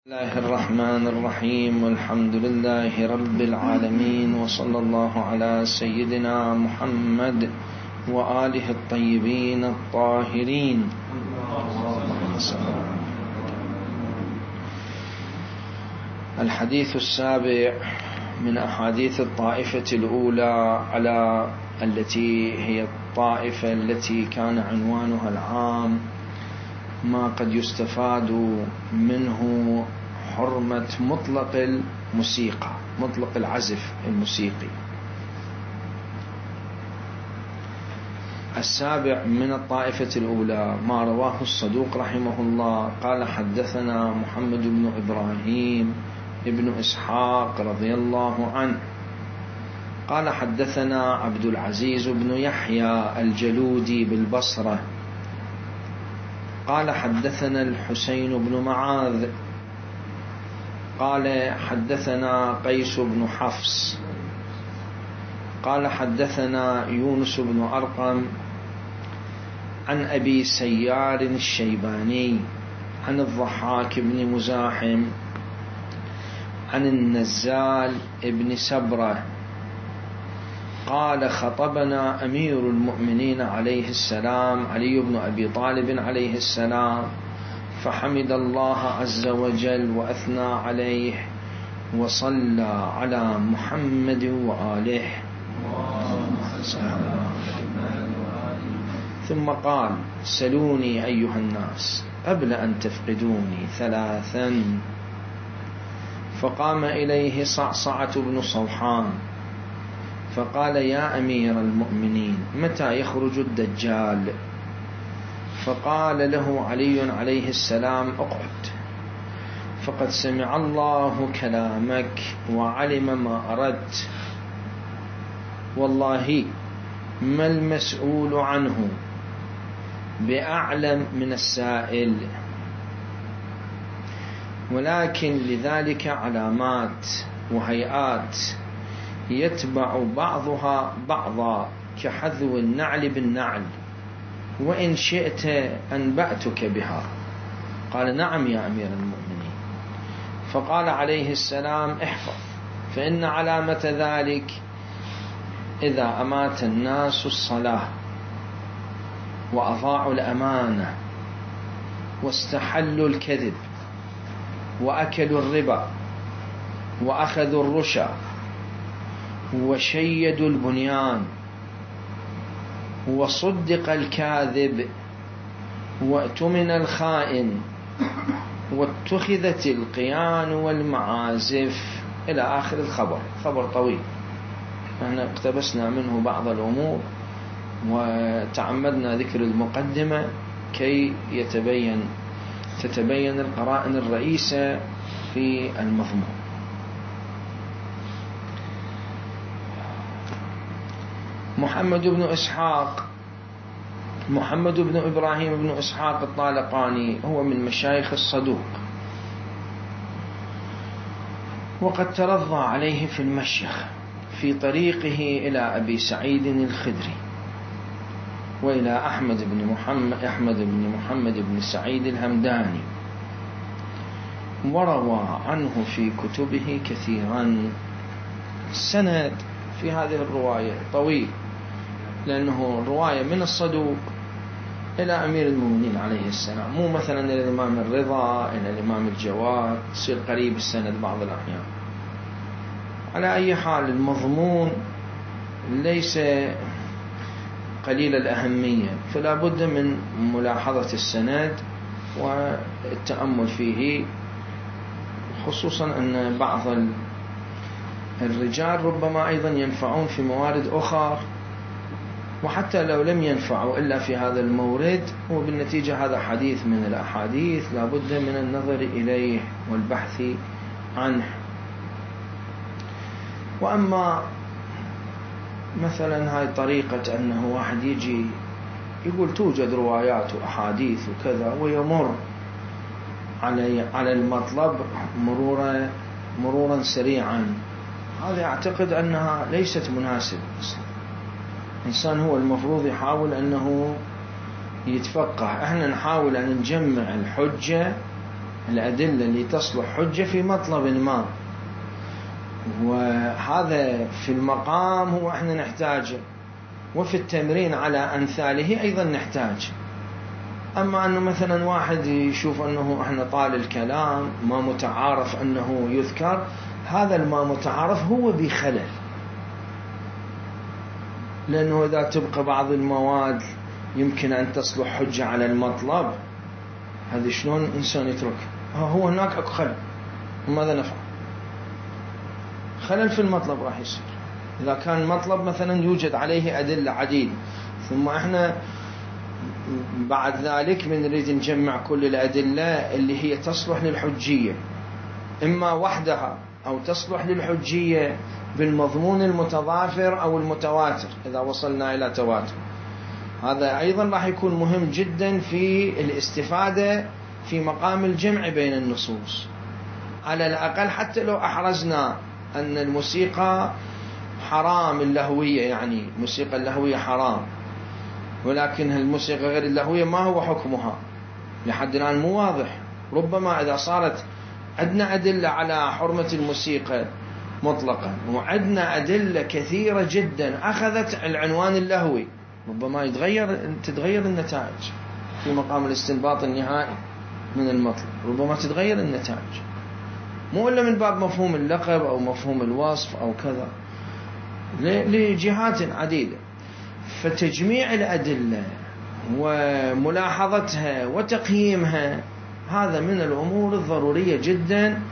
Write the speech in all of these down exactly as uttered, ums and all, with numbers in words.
بسم الله الرحمن الرحيم والحمد لله رب العالمين وصلى الله على سيدنا محمد وآله الطيبين الطاهرين. الحديث السابع من أحاديث الطائفة الأولى على التي هي الطائفة التي كان عنوانها العام ما قد يستفاد منه حرمة مطلق الموسيقى، مطلق العزف الموسيقي. السابع من الطائفة الأولى ما رواه الصدوق رحمه الله قال: حدثنا محمد بن إبراهيم ابن إسحاق رضي الله عنه قال: حدثنا عبد العزيز بن يحيى الجلودي بالبصرة قال: حدثنا الحسين بن معاذ قال: حدثنا قيس بن حفص قال: حدثنا يونس بن أرقم عن أبي سيار الشيباني عن الضحاك بن مزاحم عن النزال بن سبرة قال: خطبنا أمير المؤمنين عليه السلام علي بن أبي طالب عليه السلام فحمد الله عز وجل وأثنى عليه وصلى على محمد وآله ثم قال: سلوني أيها الناس قبل أن تفقدوني ثلاثا. فقام إليه صعصعة بن صوحان فقال: يا أمير المؤمنين متى يخرج الدجال؟ فقال له علي عليه السلام: اقعد فقد سمع الله كلامك وعلم ما أردت، والله ما المسؤول عنه بأعلم من السائل، ولكن لذلك علامات وهيئات يتبع بعضها بعضا كحذو النعل بالنعل، وإن شئت أنبأتك بها. قال: نعم يا أمير المؤمنين. فقال عليه السلام: احفظ، فإن علامة ذلك إذا أمات الناس الصلاة وأضاعوا الأمانة واستحلوا الكذب وأكلوا الربا وأخذوا الرشا وشيدوا البنيان وصدق الكاذب وأتمن الخائن واتخذت القيان والمعازف إلى آخر الخبر. خبر طويل، احنا اقتبسنا منه بعض الأمور وتعمدنا ذكر المقدمة كي يتبين تتبين القرائن الرئيسة في المضمون. محمد بن إسحاق محمد بن إبراهيم بن إسحاق الطالقاني هو من مشايخ الصدوق، وقد ترضى عليه في المشيخ في طريقه إلى أبي سعيد الخدري وإلى أحمد بن محمد أحمد بن محمد بن سعيد الهمداني، وروى عنه في كتبه كثيرا. السند في هذه الرواية طويل، لأنه رواية من الصدوق إلى أمير المؤمنين عليه السلام، مو مثلا إلى الإمام الرضا إلى الإمام الجواد، يصير قريب السند بعض الأحيان. على أي حال المضمون ليس قليل الأهمية، فلا بد من ملاحظة السند والتأمل فيه، خصوصا أن بعض الرجال ربما أيضا ينفعون في موارد أخرى، وحتى لو لم ينفعوا إلا في هذا المورد، وبالنتيجة هذا حديث من الأحاديث لا بد من النظر إليه والبحث عنه. وأما مثلا هاي طريقة أنه واحد يجي يقول توجد روايات وأحاديث وكذا ويمر على على المطلب مرورا مرورا سريعا، هذا أعتقد أنها ليست مناسبة. الإنسان هو المفروض يحاول أنه يتفقه. احنا نحاول أن نجمع الحجة الأدلة اللي تصلح حجة في مطلب ما، وهذا في المقام هو احنا نحتاجه، وفي التمرين على أمثاله أيضا نحتاج. أما أنه مثلا واحد يشوف أنه احنا طال الكلام ما متعارف أنه يذكر، هذا الما متعارف هو بخلل، لأنه إذا تبقى بعض المواد يمكن أن تصلح حجة على المطلب، هذا شلون إنسان يترك؟ هو هناك أكو خلل، ماذا نفعل؟ خلل في المطلب راح يصير إذا كان مطلب مثلا يوجد عليه أدلة عديدة، ثم إحنا بعد ذلك من نريد نجمع كل الأدلة اللي هي تصلح للحجية، إما وحدها أو تصلح للحجية بالمضمون المتضافر أو المتواتر إذا وصلنا إلى تواتر. هذا أيضا راح يكون مهم جدا في الاستفادة في مقام الجمع بين النصوص. على الأقل حتى لو أحرزنا أن الموسيقى حرام اللهوية، يعني الموسيقى اللهوية حرام، ولكن الموسيقى غير اللهوية ما هو حكمها لحد الآن مو واضح. ربما إذا صارت عندنا أدلة على حرمة الموسيقى مطلقا وعندنا أدلة كثيرة جدا أخذت العنوان اللهوي، ربما يتغير تتغير النتائج في مقام الاستنباط النهائي من المطلب، ربما تتغير النتائج، مو إلا من باب مفهوم اللقب أو مفهوم الوصف أو كذا، لجهات عديدة. فتجميع الأدلة وملاحظتها وتقييمها هذا من الأمور الضرورية جدا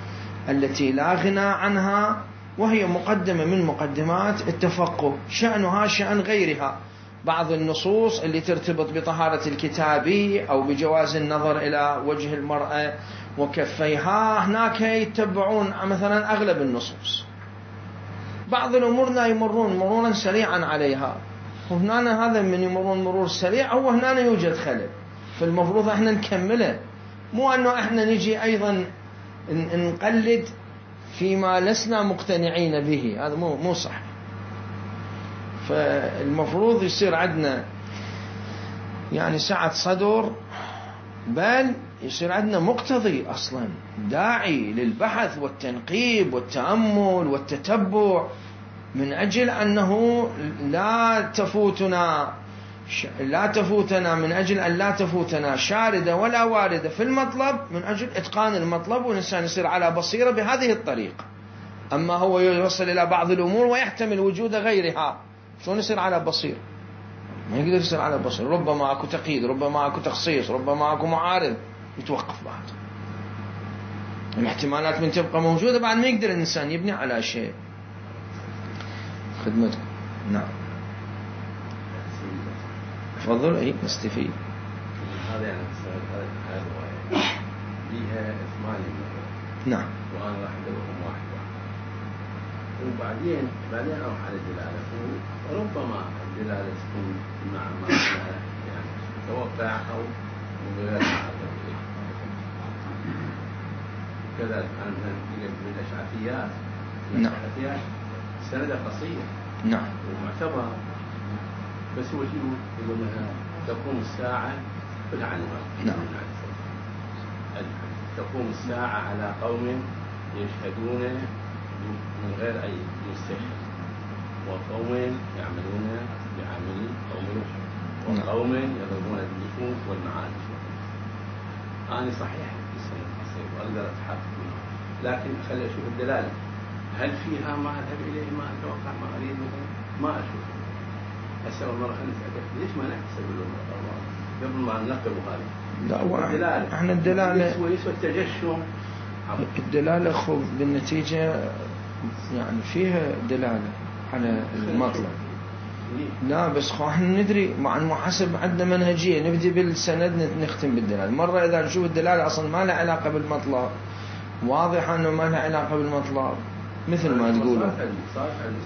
التي لا غنى عنها، وهي مقدمة من مقدمات التفقه، شأنها شأن غيرها. بعض النصوص اللي ترتبط بطهارة الكتابي أو بجواز النظر إلى وجه المرأة وكفيها، هناك يتبعون مثلا أغلب النصوص. بعض الأمور لا يمرون مرورا سريعا عليها، وهنا هذا من يمرون مرور سريع هو هنا يوجد خلل، فالمفروض احنا نكمله، مو أنه احنا نجي أيضا نقلد فيما لسنا مقتنعين به، هذا مو مو صح. فالمفروض يصير عندنا يعني سعة صدر، بل يصير عندنا مقتضي أصلا داعي للبحث والتنقيب والتأمل والتتبع، من أجل أنه لا تفوتنا لا تفوتنا من أجل أن لا تفوتنا شاردة ولا واردة في المطلب، من أجل إتقان المطلب، والإنسان يصير على بصيرة بهذه الطريقة. أما هو يوصل إلى بعض الأمور ويحتمل وجود غيرها، شلون يصير على بصيرة؟ ما يقدر يصير على بصيرة، ربما أكو تقييد، ربما أكو تخصيص، ربما أكو معارض، يتوقف بعد. الاحتمالات من تبقى موجودة بعد ما يقدر الإنسان يبني على شيء. خدمتكم. نعم تفضل. أي نستفيد. هذا يعني هذا الرواية ليها ثمانية. نعم. وأنا راح أدورهم واحد واحد. وبعدين بعدين أروح على الدلالة، وربما الدلالة تكون مع ما يعني متوقع أو غير معتبر. كذلك أنا من الأشعثيات. نعم. الأشعثيات سندة قصير. نعم. ومعتبر، بس هو شيء يقول لها تقوم الساعة بالعنوان. نعم. تقوم الساعة على قوم يشهدون من غير أي مستشهد، وقوم يعملون بعمل قوم لوط، وقوم يضربون بالنفوس والمعارف. أنا صحيح في السنة القصير وأقدر أتحقق منها، لكن خلي أشوف الدلالة، هل فيها ما أذهب إليه ما أتوقع ما أريد مثلا؟ ما أشوف. هسه المرة نسألك ليش ما نحسب المرة قبل ما ننقب هذا؟ لا، احنا الدلالة يسوى يسوى التجشم. الدلالة خذ بالنتيجة يعني فيها دلالة على المطلب. لا بس خو احنا ندري مع المحاسب عندنا منهجية، نبدي بالسند نختم بالدلالة. مرة إذا نشوف الدلالة أصلا ما لها علاقة بالمطلب، واضح أنه ما لها علاقة بالمطلب مثل ما تقولوا.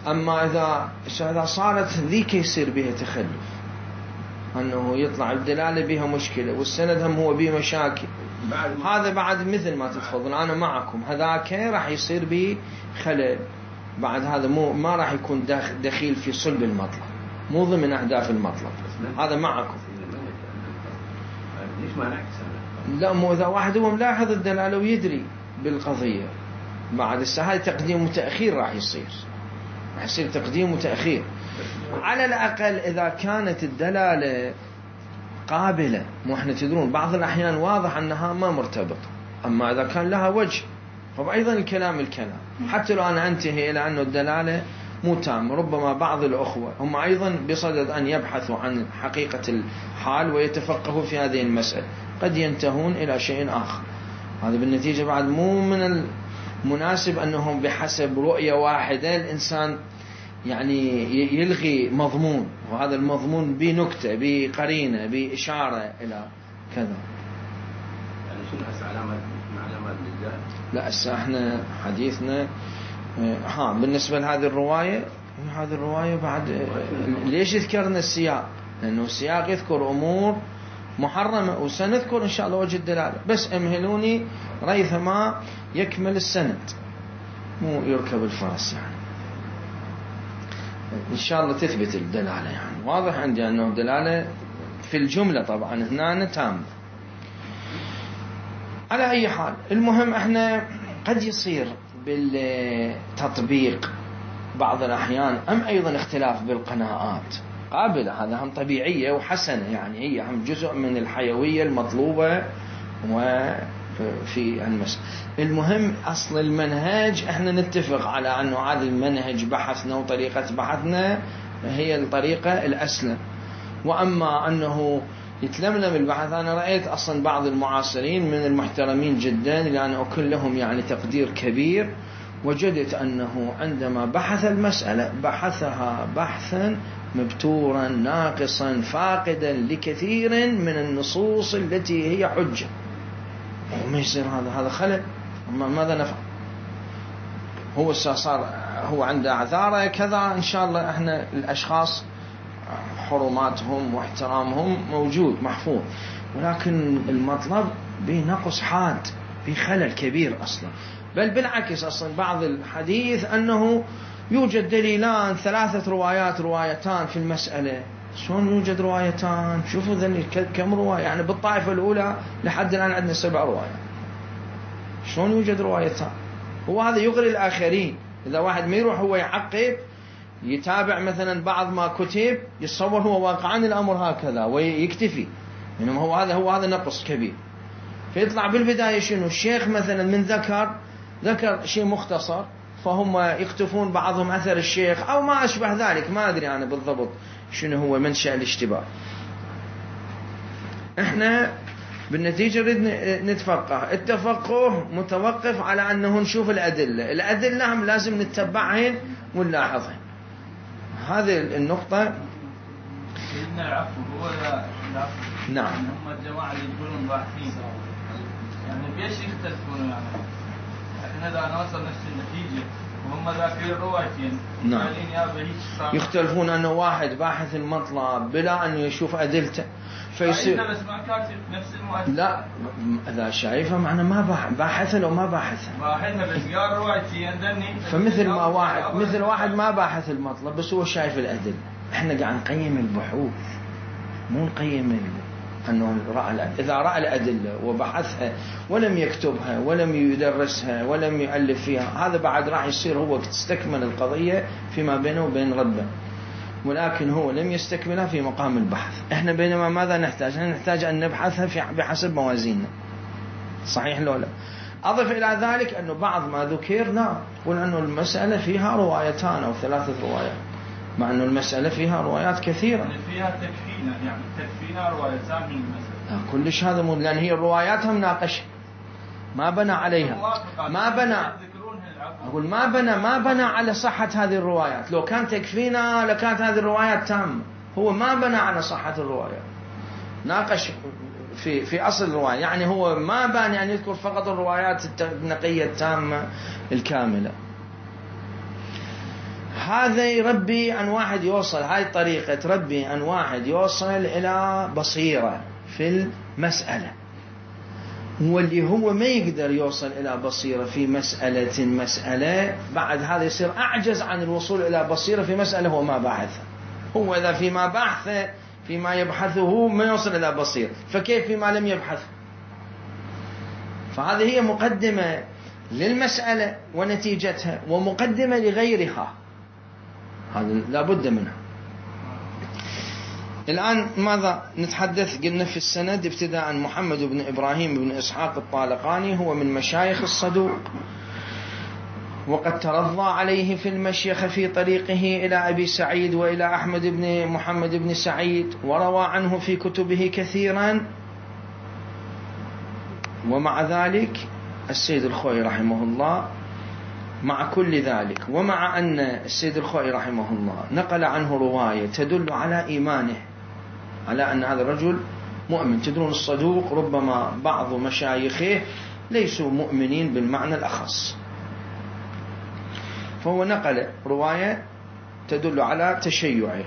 أما إذا إذا صارت ذيك يصير بها تخلف، أنه يطلع الدلالة بها مشكلة والسند هم هو بيه مشاكل، هذا بعد مثل ما تتفضل أنا معكم، هذاك راح يصير به خلل بعد. هذا مو ما راح يكون دخيل في صلب المطلب، مو ضمن أهداف المطلب. هذا معكم. ليش ما نعكس؟ لا مو إذا واحد هو ملاحظ الدلالة ويدري بالقضية بعد الساعة تقديم وتأخير راح يصير، راح يصير تقديم وتأخير. على الأقل إذا كانت الدلالة قابلة، مو احنا تدرون بعض الأحيان واضح أنها ما مرتبط، أما إذا كان لها وجه فأيضا الكلام الكلام، حتى لو أنا أنتهي إلى أن الدلالة مو تام. ربما بعض الأخوة هم أيضا بصدد أن يبحثوا عن حقيقة الحال ويتفقهوا في هذه المسألة، قد ينتهون إلى شيء آخر. هذا بالنتيجة بعد مو من المناسب أنهم بحسب رؤية واحدة الإنسان يعني يلغي مضمون، وهذا المضمون بنكتة بقرينة بإشارة إلى كذا. يعني شنو هسه علامة علامات الجهل؟ لا هسه احنا حديثنا ها بالنسبة لهذه الرواية، هذه الرواية بعد ليش ذكرنا السياق؟ لأنه السياق يذكر أمور محرمة، وسنذكر إن شاء الله وجه الدلالة، بس امهلوني ريثما يكمل السند مو يركب الفرس. يعني إن شاء الله تثبت الدلالة، يعني واضح عندي أنه الدلالة في الجملة طبعا هنا تام. على أي حال المهم احنا قد يصير بالتطبيق بعض الأحيان أم أيضا اختلاف بالقناعات قابلة، هذا هم طبيعية وحسنة، يعني هي هم جزء من الحيوية المطلوبة وفي المسألة. المهم أصل المنهج احنا نتفق على أنه هذا المنهج بحثنا وطريقة بحثنا هي الطريقة الأسلم. وأما أنه يتلملم البحث، أنا رأيت أصلا بعض المعاصرين من المحترمين جدا لأن أكون لهم يعني تقدير كبير، وجدت أنه عندما بحث المسألة بحثها بحثا مبتورا ناقصا فاقدا لكثير من النصوص التي هي حجة. وما يصير هذا هذا خلل، ماذا نفعل؟ هو صار هو عنده اعذاره كذا، إن شاء الله احنا الأشخاص حرماتهم واحترامهم موجود محفوظ، ولكن المطلب بنقص حاد بخلل كبير أصلا. بل بالعكس أصلا بعض الحديث أنه يوجد دليلان ثلاثة روايات روايتان في المسألة. شلون يوجد روايتان؟ شوفوا ذني كم رواية، يعني بالطائفة الأولى لحد الآن عندنا سبع روايات، شلون يوجد روايتان؟ هو هذا يغري الآخرين. إذا واحد ما يروح هو يعقب يتابع مثلا بعض ما كتب يتصور هو واقعا الأمر هكذا ويكتفي، إنما هو هذا هو هذا نقص كبير. فيطلع بالبداية شنو الشيخ مثلا من ذكر ذكر شيء مختصر، فهم يكتفون بعضهم أثر الشيخ أو ما أشبه ذلك، ما أدري أنا بالضبط شنو هو منشأ الاشتباه. إحنا بالنتيجة نريد نتفقه، التفقه متوقف على أنه نشوف الأدلة، الأدلة هم لازم نتبعهن ونلاحظهن. هذه النقطة. سيدنا العفو هو العفو. نعم. هم الجماعة اللي يقولون باحثين، يعني بيش يختلفون؟ يعني احنا إذا نوصل نفس النتيجة وهم ذاكرين روايتين. نعم. يختلفون أنه واحد باحث المطلب بلا أن يشوف أدلته فيصير. بس ما كاتب نفس المؤلف. لا إذا شايفه معنى ما باحث لو ما باحث. باحثها بس قال روايتين دني. فمثل ما واحد مثل واحد ما باحث المطلب بس هو شايف الأدلة. احنا قاعد نقيم البحوث مو نقيم أنه رأى الأدلة. إذا رأى الأدلة وبحثها ولم يكتبها ولم يدرسها ولم يؤلف فيها، هذا بعد راح يصير هو تستكمل القضية فيما بينه وبين ربه، ولكن هو لم يستكملها في مقام البحث. احنا بينما ماذا نحتاج؟ نحتاج أن نبحثها في بحسب موازيننا، صحيح لو لا؟ أضف إلى ذلك أنه بعض ما ذكر نعم يقول أنه المسألة فيها روايتان أو ثلاثة روايات، مع أنه المسألة فيها روايات كثيرة. يعني فيها تكفينا، يعني تكفينا روايتان من المسألة. كلش هذا مو، لأن هي الروايات هم ناقشة ما بنى عليها، ما بنى أقول ما بنى ما بنى على صحة هذه الروايات. لو كان تكفينا لكانت هذه الروايات تامة، هو ما بنى على صحة الروايات، ناقش في في أصل الرواية. يعني هو ما بان يعني يذكر فقط الروايات النقية التامة الكاملة. هذا يربي أن واحد يوصل، هاي طريقة تربي أن واحد يوصل إلى بصيرة في المسألة، واللي هو ما يقدر يوصل إلى بصيرة في مسألة مسألة بعد هذا يصير أعجز عن الوصول إلى بصيرة في مسألة هو ما باحثها. هو إذا فيما بحثه فيما يبحثه ما يوصل إلى بصيرة، فكيف فيما لم يبحث؟ فهذه هي مقدمة للمسألة ونتيجتها ومقدمة لغيرها، هذا لا بد منها. الآن ماذا نتحدث؟ قلنا في السند ابتداء محمد بن إبراهيم بن إسحاق الطالقاني هو من مشايخ الصدوق، وقد ترضى عليه في المشيخ في طريقه إلى أبي سعيد وإلى أحمد بن محمد بن سعيد، وروى عنه في كتبه كثيرا. ومع ذلك السيد الخوئي رحمه الله مع كل ذلك، ومع أن السيد الخوئي رحمه الله نقل عنه رواية تدل على إيمانه، على أن هذا الرجل مؤمن. تدرون الصدوق ربما بعض مشايخه ليسوا مؤمنين بالمعنى الأخص، فهو نقل رواية تدل على تشيعه.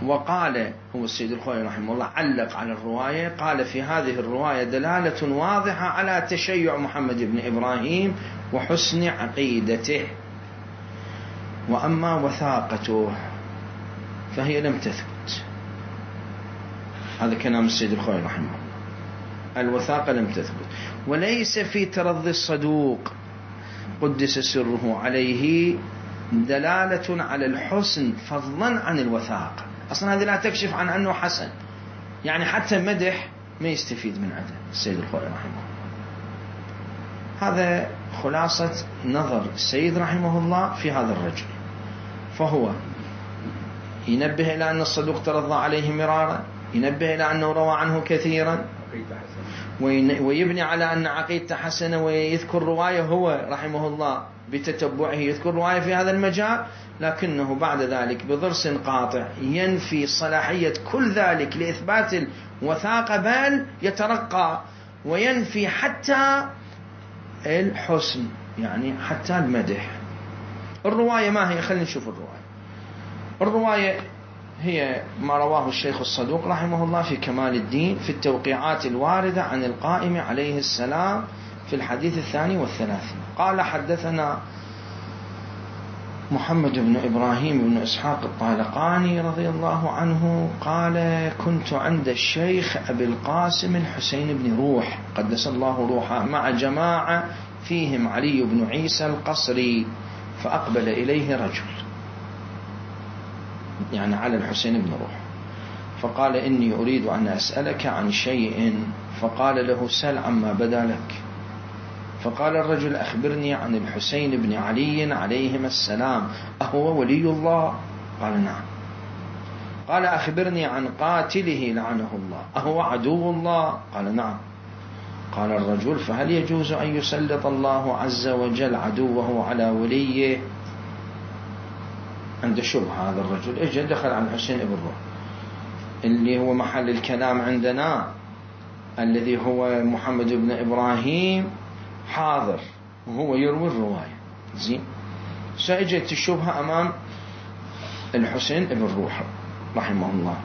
وقال هو السيد الخوئي رحمه الله علق على الرواية، قال في هذه الرواية دلالة واضحة على تشيع محمد بن إبراهيم وحسن عقيدته، وأما وثاقته فهي لم تثبت. هذا كلام السيد الخوئي رحمه الله، الوثاقة لم تثبت. وليس في ترضي الصدوق قدس سره عليه دلالة على الحسن فضلا عن الوثاقة. أصلا هذه لا تكشف عن أنه حسن، يعني حتى مدح ما يستفيد من هذا السيد الخوئي رحمه الله. هذا خلاصة نظر السيد رحمه الله في هذا الرجل. فهو ينبه إلى أن الصدوق ترضى عليه مرارا، ينبه إلى أنه روى عنه كثيرا، ويبني على أن عقيدته حسنة، ويذكر رواية هو رحمه الله بتتبعه يذكر رواية في هذا المجال، لكنه بعد ذلك بضرس قاطع ينفي صلاحية كل ذلك لإثبات الوثاقة، بل يترقى وينفي حتى الحسن، يعني حتى المدح. الرواية ما هي؟ خلينا نشوف الرواية. الرواية هي ما رواه الشيخ الصدوق رحمه الله في كمال الدين في التوقيعات الواردة عن القائم عليه السلام في الحديث الثاني والثلاثين. قال حدثنا محمد بن إبراهيم بن إسحاق الطالقاني رضي الله عنه قال كنت عند الشيخ أبي القاسم الحسين بن روح قدس الله روحه مع جماعة فيهم علي بن عيسى القصري، فأقبل إليه رجل، يعني على الحسين بن روح، فقال إني أريد أن أسألك عن شيء، فقال له سل عما بدا لك. فقال الرجل أخبرني عن الحسين بن علي عليهما السلام، أهو ولي الله؟ قال نعم. قال أخبرني عن قاتله لعنه الله، أهو عدو الله؟ قال نعم. قال الرجل فهل يجوز أن يسلط الله عز وجل عدوه على وليه؟ عنده شبهة هذا الرجل، اجى دخل على الحسين بن روح اللي هو محل الكلام عندنا، الذي هو محمد بن إبراهيم حاضر وهو يروي الرواية. زين، سأجت الشبهة أمام الحسين بن روح رحمه الله،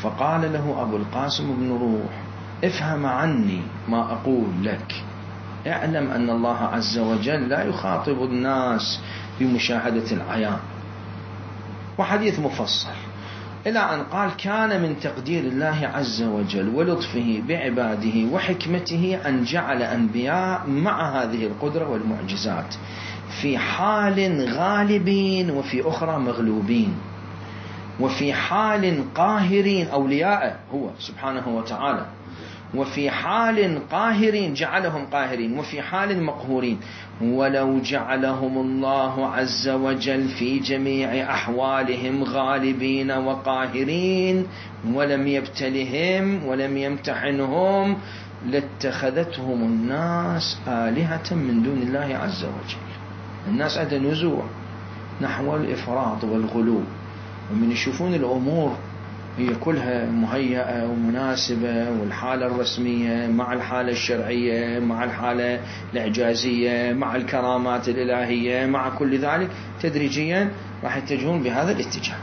فقال له أبو القاسم بن روح افهم عني ما أقول لك، اعلم أن الله عز وجل لا يخاطب الناس بمشاهدة العيان. وحديث مفصل إلى أن قال كان من تقدير الله عز وجل ولطفه بعباده وحكمته أن جعل أنبياء مع هذه القدرة والمعجزات في حال غالبين وفي أخرى مغلوبين، وفي حال قاهرين أولياء هو سبحانه وتعالى، وفي حال قاهرين جعلهم قاهرين، وفي حال مقهورين. ولو جعلهم الله عز وجل في جميع أحوالهم غالبين وقاهرين ولم يبتلهم ولم يمتحنهم لاتخذتهم الناس آلهة من دون الله عز وجل. الناس عندها نزوع نحو الإفراط والغلو، ومن يشوفون الأمور هي كلها مهيئة ومناسبة، والحالة الرسمية مع الحالة الشرعية مع الحالة الإعجازية مع الكرامات الإلهية مع كل ذلك، تدريجيا راح يتجهون بهذا الاتجاه.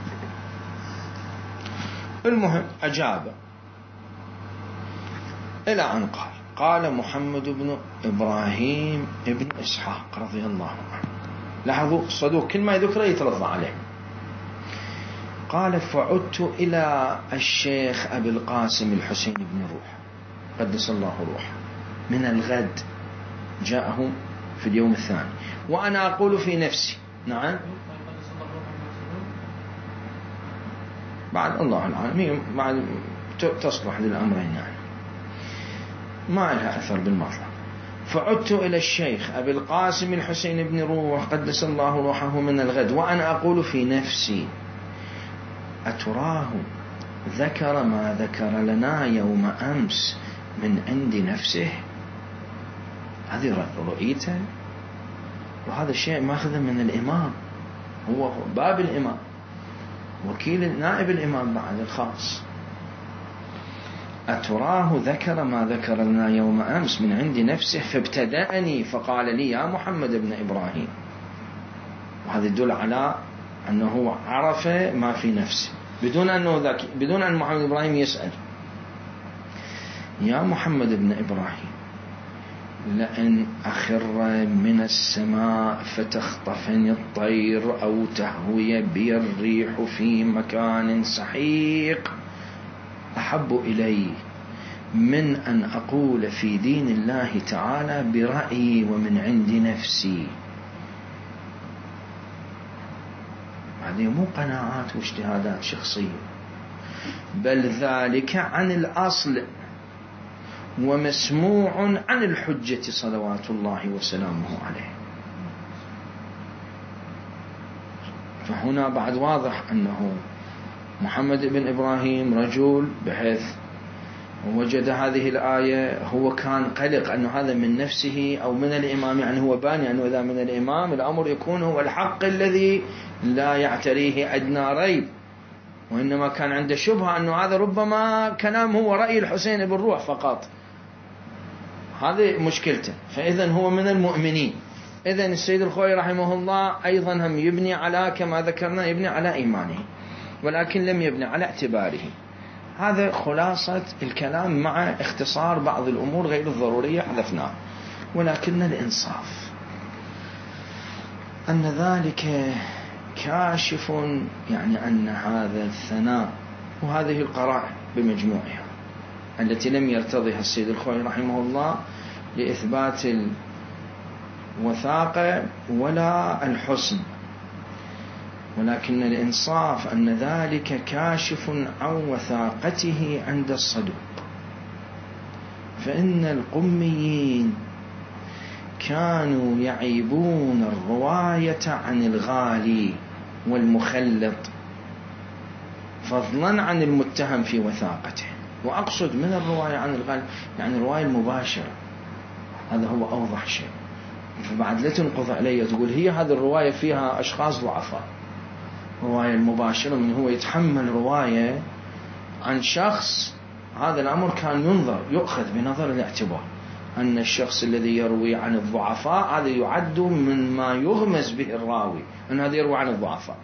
المهم أجاب إلى أن قال قال محمد بن إبراهيم ابن إسحاق رضي الله عنه، لاحظوا الصدوق كل ما يذكره يترضى عليه. قال فعدت إلى الشيخ أبي القاسم الحسين بن روح، قدس الله روحه من الغد جاءه في اليوم الثاني، وأنا أقول في نفسي. نعم بعد الله العالمين بعد تصلح للأمرين يعني ما لها أثر بالمطلق. فعدت إلى الشيخ أبي القاسم الحسين بن روح قدس الله روحه من الغد وأنا أقول في نفسي أتراه ذكر ما ذكر لنا يوم أمس من عند نفسه؟ هذه رؤيته، وهذا الشيء ماخذ من الإمام، هو باب الإمام، وكيل نائب الإمام بعد الخاص. أتراه ذكر ما ذكر لنا يوم أمس من عند نفسه فابتدأني فقال لي يا محمد بن إبراهيم. وهذا يدل على أنه عرف ما في نفسه بدون أنه ذكي، بدون أن محمد بن إبراهيم يسأل. يا محمد بن إبراهيم لأن أخر من السماء فتخطفني الطير أو تهوي بي الريح في مكان سحيق أحب إلي من أن أقول في دين الله تعالى برأيي ومن عند نفسي. هذه مو قناعات واجتهادات شخصية، بل ذلك عن الأصل ومسموع عن الحجة صلوات الله وسلامه عليه. فهنا بعد واضح أنه محمد بن إبراهيم رجل بحيث وجد هذه الآية هو كان قلق أنه هذا من نفسه أو من الإمام، يعني هو باني أنه إذا من الإمام الأمر يكون هو الحق الذي لا يعتريه أدنى ريب، وإنما كان عنده شبهة أنه هذا ربما كلام هو رأي الحسين بن روح فقط، هذه مشكلته. فإذا هو من المؤمنين. إذا السيد الخوئي رحمه الله أيضا هم يبني على كما ذكرنا يبني على إيمانه، ولكن لم يبني على اعتباره. هذا خلاصة الكلام مع اختصار بعض الأمور غير الضرورية حذفناه. ولكن الإنصاف أن ذلك كاشف يعني أن هذا الثناء وهذه القرائن بمجموعها التي لم يرتضيها السيد الخوئي رحمه الله لإثبات الوثاقة ولا الحسن، ولكن الإنصاف أن ذلك كاشف عن وثاقته عند الصدوق. فإن القميين كانوا يعيبون الرواية عن الغالي والمخلط فضلا عن المتهم في وثاقته. وأقصد من الرواية عن الغالي يعني الرواية المباشرة، هذا هو أوضح شيء. فبعد لا تنقض علي تقول هي هذه الرواية فيها أشخاص ضعفاء. رواية المباشرة من هو يتحمل رواية عن شخص، هذا الأمر كان ينظر يؤخذ بنظر الاعتبار أن الشخص الذي يروي عن الضعفاء هذا يعد من ما يغمز به الراوي أن هذا يروي عن الضعفاء.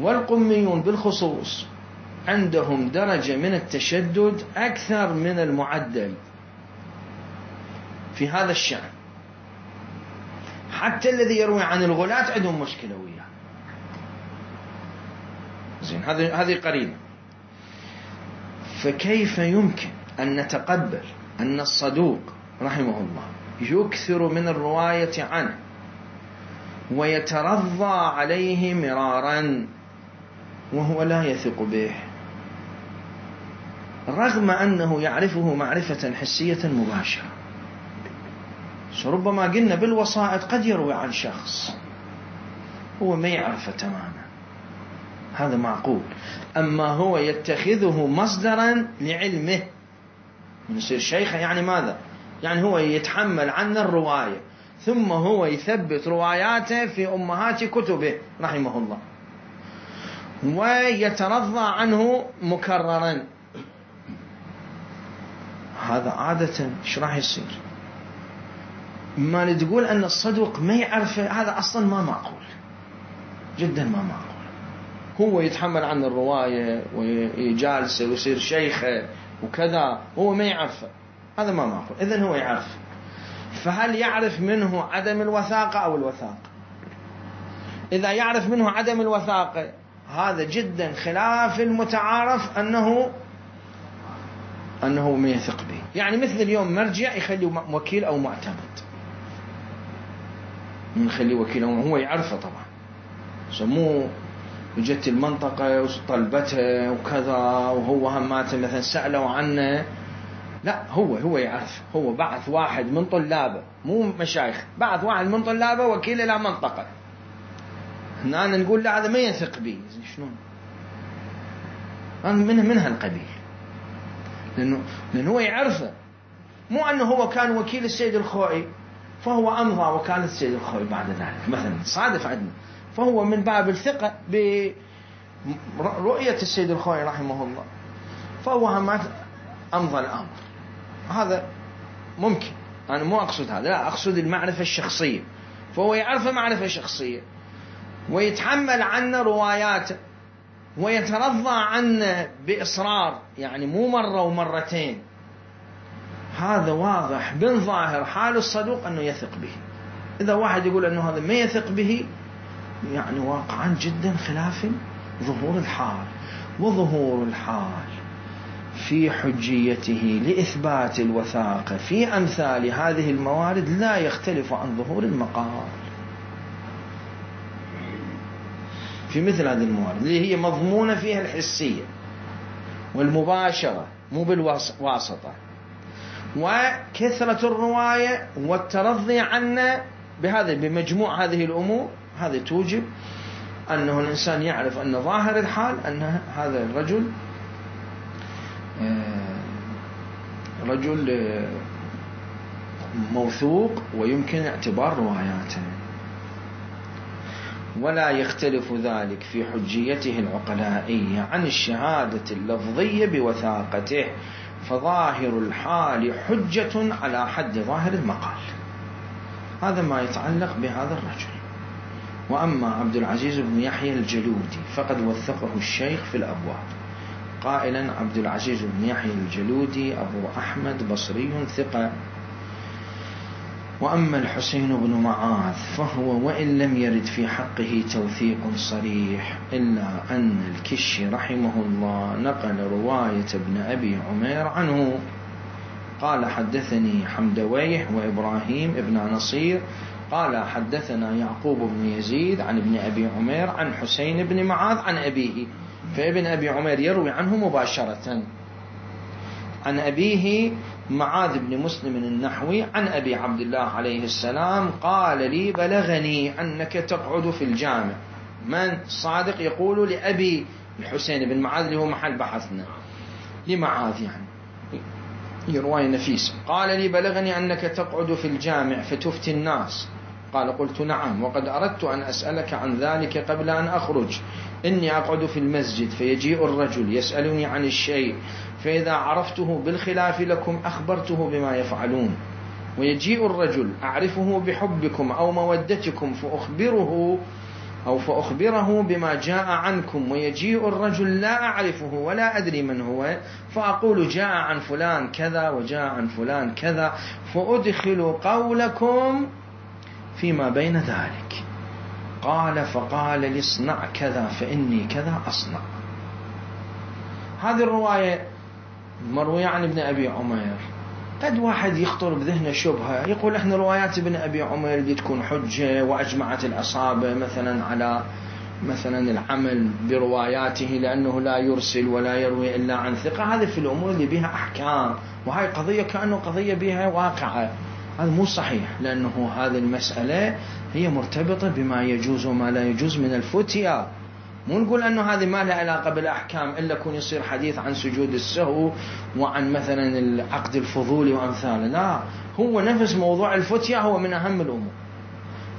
والقميون بالخصوص عندهم درجة من التشدد أكثر من المعدل في هذا الشأن، حتى الذي يروي عن الغلاة عندهم مشكلة وياه. زين هذه هذه قرينة. فكيف يمكن أن نتقبل أن الصدوق رحمه الله يكثر من الرواية عنه ويترضى عليه مرارا وهو لا يثق به، رغم أنه يعرفه معرفة حسية مباشرة؟ ربما قلنا بالوسائط قد يروي عن شخص هو ما يعرفه تماما، هذا معقول. أما هو يتخذه مصدرا لعلمه من يصير شيخا، يعني ماذا؟ يعني هو يتحمل عنا الرواية ثم هو يثبت رواياته في أمهات كتبه رحمه الله ويترضى عنه مكررا. هذا عادة ايش راح يصير؟ ما تقول أن الصدوق ما يعرف، هذا أصلا ما معقول، جدا ما معقول. هو يتحمل عن الرواية ويجالسه ويصير شيخه وكذا هو ما يعرف، هذا ما معقول. إذن هو يعرف، فهل يعرف منه عدم الوثاقة أو الوثاقة؟ إذا يعرف منه عدم الوثاقة هذا جدا خلاف المتعارف أنه أنه ما يثق به. يعني مثل اليوم مرجع يخلي وكيل أو معتمد، من يخلي وكيل أو هو يعرفه طبعا، سموه وجدت المنطقة وطلبته وكذا، وهو هماته مثلا سألوا عنه، لا هو هو يعرف، هو بعث واحد من طلابه مو مشايخ، بعث واحد من طلابه وكيل إلى منطقة، هنا نقول لا هذا ما يثق به. شلون؟ من من هالقبيل، لأنه لأنه هو يعرفه، مو أنه هو كان وكيل السيد الخوئي فهو أمضى وكالة السيد الخوئي بعد ذلك مثلا، صادف عندنا، فهو من باب الثقة برؤية السيد الخوئي رحمه الله فهو همات أمضى الأمر. هذا ممكن، أنا مو أقصد هذا، لا أقصد المعرفة الشخصية، فهو يعرف معرفة شخصية ويتحمل عنا رواياته ويترضى عنا بإصرار، يعني مو مرة ومرتين. هذا واضح من ظاهر حال الصدوق أنه يثق به. إذا واحد يقول أنه هذا ما يثق به، يعني واقعا جدا خلاف ظهور الحال، وظهور الحال في حجيته لإثبات الوثاقة في أمثال هذه الموارد لا يختلف عن ظهور المقال في مثل هذه الموارد اللي هي مضمونة فيها الحسية والمباشرة مو بالواسطة، وكثرة الرواية والترضي عنا بهذا بمجموع هذه الأمور. هذا توجب أنه الإنسان يعرف أن ظاهر الحال أن هذا الرجل رجل موثوق ويمكن اعتبار رواياته، ولا يختلف ذلك في حجيته العقلائية عن الشهادة اللفظية بوثاقته، فظاهر الحال حجة على حد ظاهر المقال. هذا ما يتعلق بهذا الرجل. وأما عبد العزيز بن يحيى الجلودي فقد وثقه الشيخ في الأبواب قائلا: عبد العزيز بن يحيى الجلودي أبو أحمد بصري ثقة. وأما الحسين بن معاذ فهو وإن لم يرد في حقه توثيق صريح إلا أن الكشي رحمه الله نقل رواية ابن أبي عمير عنه قال: حدثني حمدويه وإبراهيم ابن نصير قال حدثنا يعقوب بن يزيد عن ابن أبي عمير عن حسين بن معاذ عن أبيه، فابن أبي عمير يروي عنه مباشرة عن أبيه معاذ بن مسلم النحوي عن أبي عبد الله عليه السلام قال لي: بلغني أنك تقعد في الجامع. من صادق يقول لأبي الحسين بن معاذ اللي هو محل بحثنا لمعاذ، يعني رواية نفيسة. قال لي: بلغني أنك تقعد في الجامع فتفتي الناس. قال: قلت: نعم، وقد أردت أن أسألك عن ذلك قبل أن أخرج. إني أقعد في المسجد فيجيء الرجل يسألني عن الشيء، فإذا عرفته بالخلاف لكم أخبرته بما يفعلون، ويجيء الرجل أعرفه بحبكم أو مودتكم فأخبره أو فأخبره بما جاء عنكم، ويجيء الرجل لا أعرفه ولا أدري من هو فأقول جاء عن فلان كذا وجاء عن فلان كذا، فأدخل قولكم فيما بين ذلك. قال: فقال لي: اصنع كذا فإني كذا أصنع. هذه الرواية مروية عن ابن أبي عمير. قد واحد يخطر بذهنه شبهة يقول: احنا روايات ابن أبي عمير دي تكون حجة وأجمعت العصابة مثلا على مثلا العمل برواياته لأنه لا يرسل ولا يروي إلا عن ثقة. هذه في الأمور اللي بها أحكام، وهي قضية كأنه قضية بها واقعة. هذا مو صحيح، لأنه هذه المسألة هي مرتبطة بما يجوز وما لا يجوز من الفتيا. مو نقول أنه هذه ما لها علاقة بالأحكام إلا كون يصير حديث عن سجود السهو وعن مثلا العقد الفضولي وأمثاله، لا، هو نفس موضوع الفتيا هو من أهم الأمور،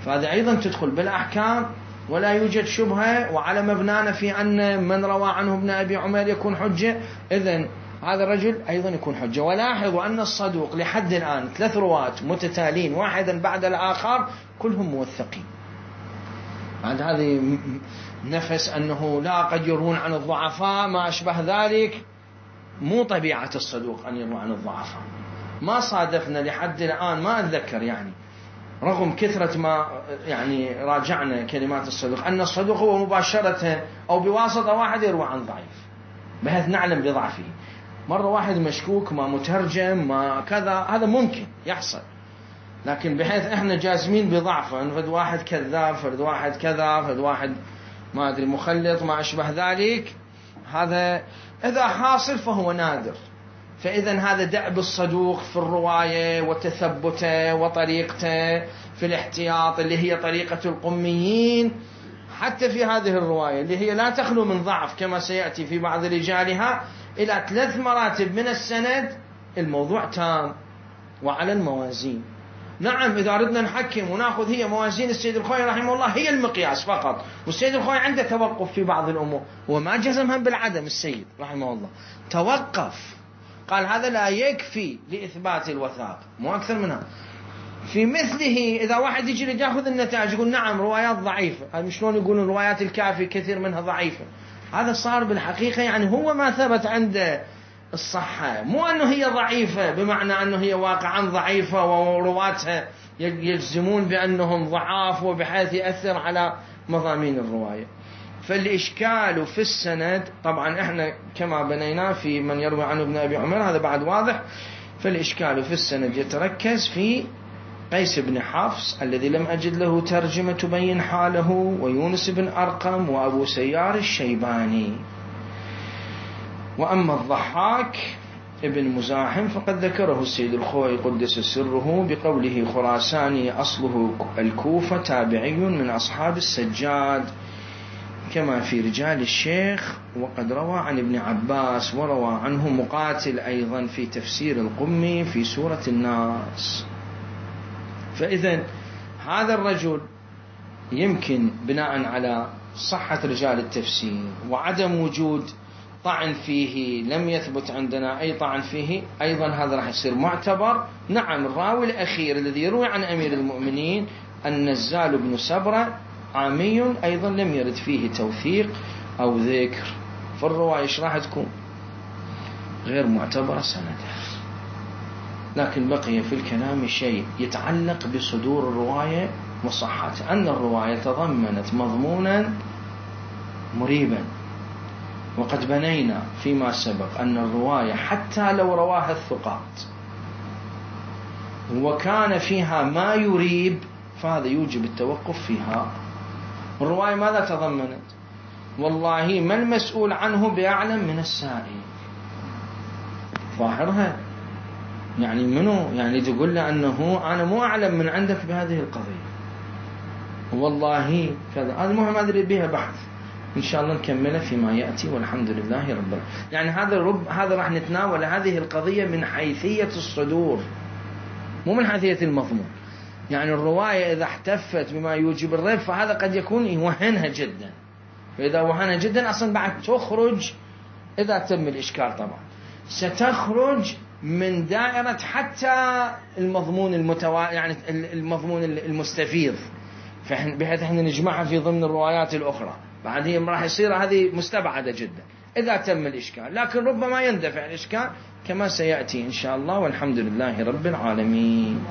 فهذا أيضا تدخل بالأحكام ولا يوجد شبهة. وعلى مبنانا في أن من روى عنه ابن أبي عمير يكون حجة، إذن هذا الرجل أيضا يكون حجة. ولاحظوا أن الصدوق لحد الآن ثلاث رواة متتالين واحدا بعد الآخر كلهم موثقين. عند هذه نفس أنه لا قد يروون عن الضعفاء ما أشبه ذلك، مو طبيعة الصدوق أن يروى عن الضعفاء. ما صادفنا لحد الآن، ما أتذكر يعني رغم كثرة ما يعني راجعنا كلمات الصدوق أن الصدوق هو مباشرة أو بواسطة واحد يروى عن ضعيف بحيث نعلم بضعفه. مرة واحد مشكوك ما مترجم ما كذا، هذا ممكن يحصل، لكن بحيث احنا جازمين بضعفه، فد واحد كذاب، فد واحد كذا، فد واحد ما ادري مخلط ما اشبه ذلك، هذا اذا حاصل فهو نادر. فاذا هذا دأب الصدوق في الرواية وتثبته وطريقته في الاحتياط اللي هي طريقة القميين، حتى في هذه الرواية اللي هي لا تخلو من ضعف كما سيأتي في بعض رجالها إلى ثلاث مراتب من السند، الموضوع تام وعلى الموازين. نعم إذا أردنا نحكم ونأخذ هي موازين السيد الخوئي رحمه الله هي المقياس فقط، والسيد الخوئي عنده توقف في بعض الأمور، وما جزمها بالعدم السيد رحمه الله، توقف قال هذا لا يكفي لإثبات الوثاق، مو أكثر منها. في مثله إذا واحد يجي يأخذ النتائج يقول نعم روايات ضعيفة، هذا شلون يقولون روايات الكافي كثير منها ضعيفة، هذا صار بالحقيقة يعني هو ما ثبت عنده الصحة، مو أنه هي ضعيفة بمعنى أنه هي واقعا ضعيفة ورواتها يجزمون بأنهم ضعاف وبحيث يأثر على مضامين الرواية. فالإشكال في السند طبعا احنا كما بنينا في من يروي عنه ابن أبي عمر هذا بعد واضح. فالإشكال في السند يتركز في قيس بن حفص الذي لم أجد له ترجمة تبين حاله، ويونس بن أرقم، وأبو سيار الشيباني. وأما الضحاك ابن مزاحم فقد ذكره السيد الخوئي قدس سره بقوله خراساني أصله الكوفة تابعي من أصحاب السجاد، كما في رجال الشيخ. وقد روى عن ابن عباس وروى عنه مقاتل أيضا في تفسير القمي في سورة الناس. فإذا هذا الرجل يمكن بناء على صحة رجال التفسير وعدم وجود طعن فيه، لم يثبت عندنا أي طعن فيه، أيضا هذا راح يصير معتبر. نعم الراوي الأخير الذي يروي عن أمير المؤمنين النزال بن سبرة عامي أيضا لم يرد فيه توثيق أو ذكر، فالرواية إيش راح تكون؟ غير معتبرة سندا. لكن بقي في الكلام شيء يتعلق بصدور الرواية وصحتها، أن الرواية تضمنت مضمونا مريبا، وقد بنينا فيما سبق أن الرواية حتى لو رواها الثقات وكان فيها ما يريب فهذا يوجب التوقف فيها. الرواية ماذا تضمنت؟ والله ما المسؤول عنه بأعلم من السائل، ظاهرها يعني منو يعني تقول له أنه أنا مو أعلم من عندك بهذه القضية والله كذا. هذا مهم أدري بها بحث إن شاء الله نكمله فيما يأتي، والحمد لله رب العالمين. يعني هذا رب هذا راح نتناول هذه القضية من حيثية الصدور مو من حيثية المضمون. يعني الرواية إذا احتفت بما يوجب الريب فهذا قد يكون يوهنها جدا، فإذا وهنها جدا أصلا بعد تخرج إذا تم الإشكال طبعا ستخرج من دائرة حتى المضمون المتوا يعني المضمون المستفيض، بحيث احنا نجمعها في ضمن الروايات الأخرى، بعدين راح يصير هذه مستبعدة جدا إذا تم الإشكال. لكن ربما يندفع الإشكال كما سيأتي إن شاء الله، والحمد لله رب العالمين.